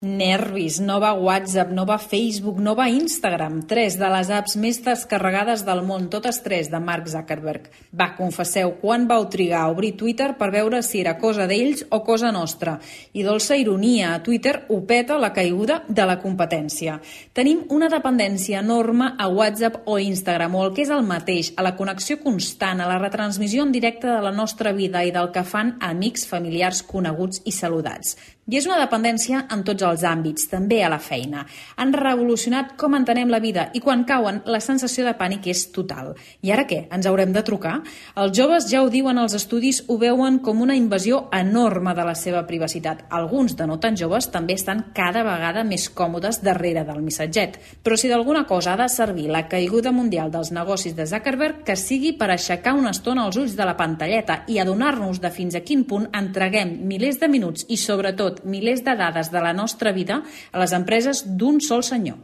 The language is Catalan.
Nervis, no va WhatsApp, no va Facebook, no va Instagram. 3 de les apps més descarregades del món, totes 3 de Mark Zuckerberg. Va, confesseu, quan vau trigar a obrir Twitter per veure si era cosa d'ells o cosa nostra? I dolça ironia, a Twitter ho peta la caiguda de la competència. Tenim una dependència enorme a WhatsApp o Instagram, o el que és el mateix, a la connexió constant, a la retransmissió en directe de la nostra vida i del que fan amics, familiars, coneguts i saludats. I és una dependència en tots els àmbits, també a la feina. Han revolucionat com entenem la vida i quan cauen la sensació de pànic és total. I ara què? Ens haurem de trucar? Els joves ja ho diuen als estudis, ho veuen com una invasió enorme de la seva privacitat. Alguns de no tan joves també estan cada vegada més còmodes darrere del missatget. Però si d'alguna cosa ha de servir la caiguda mundial dels negocis de Zuckerberg, que sigui per aixecar una estona els ulls de la pantalleta i adonar-nos de fins a quin punt entreguem milers de minuts i sobretot milers de dades de la nostra vida a les empreses d'un sol senyor.